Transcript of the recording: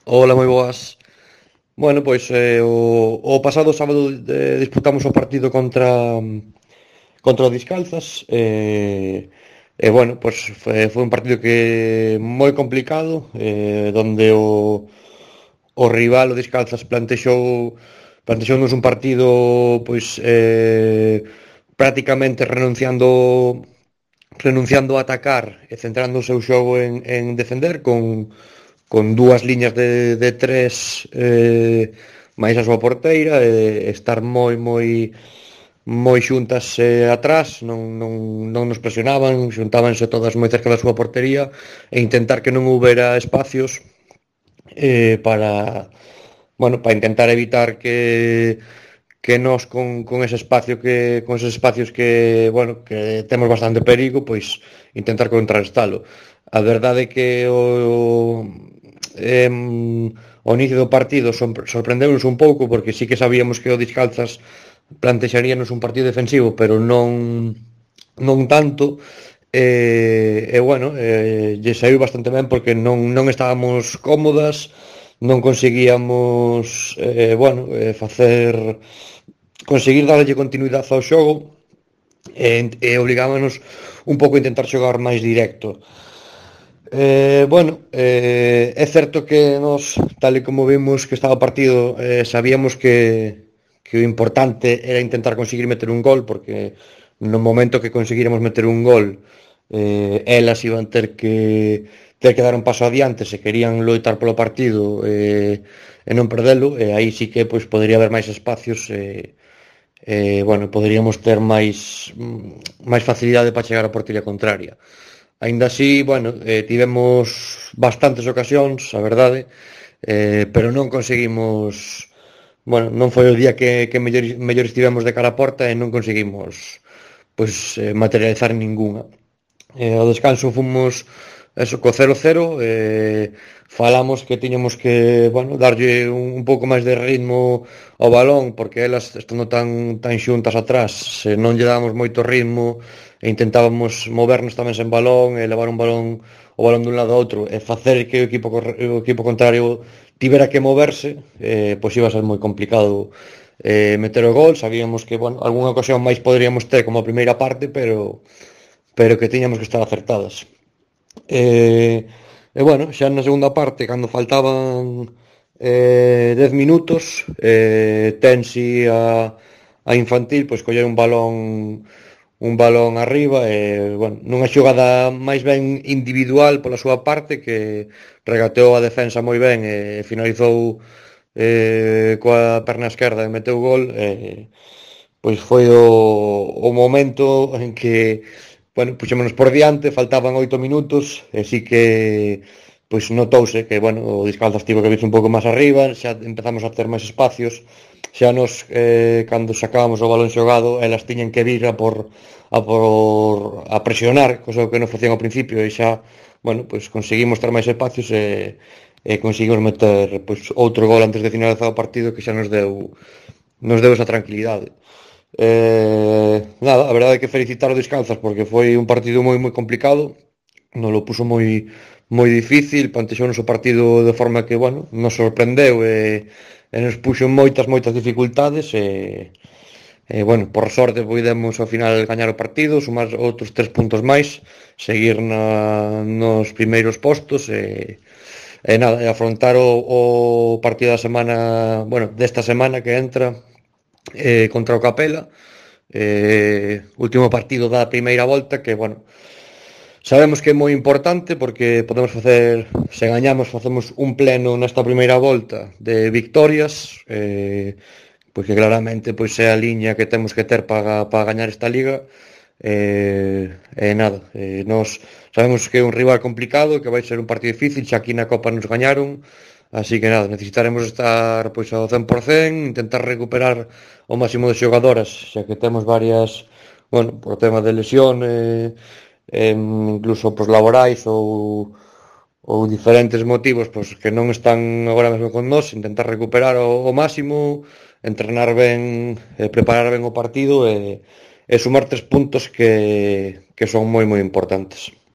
Hola, moi boas. Bueno, pois o pasado sábado disputamos o partido contra o Discalzas bueno, pois foi un partido que moi complicado, donde o rival, o Discalzas, plantexounos un partido pois prácticamente renunciando a atacar e centrando o seu xogo en defender con dúas liñas de tres máis a súa porteira e estar moi xuntas atrás, non nos presionaban, xuntábanse todas moi cerca da súa portería e intentar que non houbera espacios para, bueno, para intentar evitar que nós con ese espacio con esos espacios que, bueno, que temos bastante perigo, pois intentar contrarrestalo. A verdade é que o inicio do partido sorprendeunos un pouco porque sí que sabíamos que o Discalzas plantexaríanos un partido defensivo, pero non tanto. Bueno, lle saiu bastante ben porque non estábamos cómodas, non conseguíamos bueno, conseguir darlle continuidade ao xogo e obligámonos un pouco a intentar xogar máis directo. Bueno, é certo que nos, tal e como vimos que estaba o partido, sabíamos que o importante era intentar conseguir meter un gol, porque no momento que conseguíramos meter un gol, elas iban ter que dar un paso adiante se querían loitar polo partido e non perdelo, e aí sí que pois podería haber máis espacios bueno, poderíamos ter máis facilidade para chegar á portería contraria. Aínda así, bueno, tivemos bastantes ocasións, a verdade, pero non conseguimos, bueno, non foi o día que mellor estivemos de cara á porta e non conseguimos pois materializar ningunha. Ao descanso fomos eso co 0-0, falamos que tiñamos que, bueno, darlle un pouco máis de ritmo ao balón porque elas estando tan xuntas atrás, se non lle dábamos moito ritmo e intentábamos movernos tamén sen balón e levar o balón dun lado a outro e facer que o equipo contrario tivera que moverse, pois iba a ser moi complicado meter o gol. Sabíamos que, bueno, algunha ocasión máis poderíamos ter como a primeira parte, pero que tiñamos que estar acertadas. Bueno, xa na segunda parte, cando faltaban 10 minutos, Tensi a infantil, pois coller un balón arriba e, bueno, nunha xogada máis ben individual pola súa parte, que regateou a defensa moi ben e finalizou coa perna esquerda e meteu gol, pois foi o momento en que, bueno, puxémonos por diante, faltaban 8 minutos e sí que pois notouse que, bueno, o Discalzas tivo que virse un pouco máis arriba, xa empezamos a ter máis espacios, xa nos cando sacábamos o balón xogado, elas tiñan que vir a presionar, cosa que non facían ao principio, e xa, bueno, pois conseguimos ter máis espacios e conseguimos meter pois outro gol antes de finalizar o partido que xa nos deu esa tranquilidade. Nada, a verdade é que felicitar o Descalzas porque foi un partido moi complicado, nos lo puso moi difícil, plantexounos o partido de forma que, bueno, nos sorprendeu e nos puxo moitas dificultades bueno, por sorte podemos ao final gañar o partido, sumar outros 3 puntos máis, seguir nos primeiros postos e nada, e afrontar o partido da semana, bueno, desta semana que entra contra o Capela, último partido da primeira volta que, bueno, sabemos que é moi importante porque podemos facer, se gañamos facemos un pleno nesta primeira volta de victorias, pois que claramente pois é a liña que temos que ter para gañar esta liga. Nada, nós sabemos que é un rival complicado, que vai ser un partido difícil, xa aquí na Copa nos gañaron, así que nada, necesitaremos estar pois ao 100%, intentar recuperar o máximo de xogadoras, xa que temos varias, bueno, por tema de lesión, incluso pois laborais ou diferentes motivos pois que non están agora mesmo con nós, intentar recuperar o máximo, entrenar ben, preparar ben o partido e sumar 3 puntos que son moi importantes.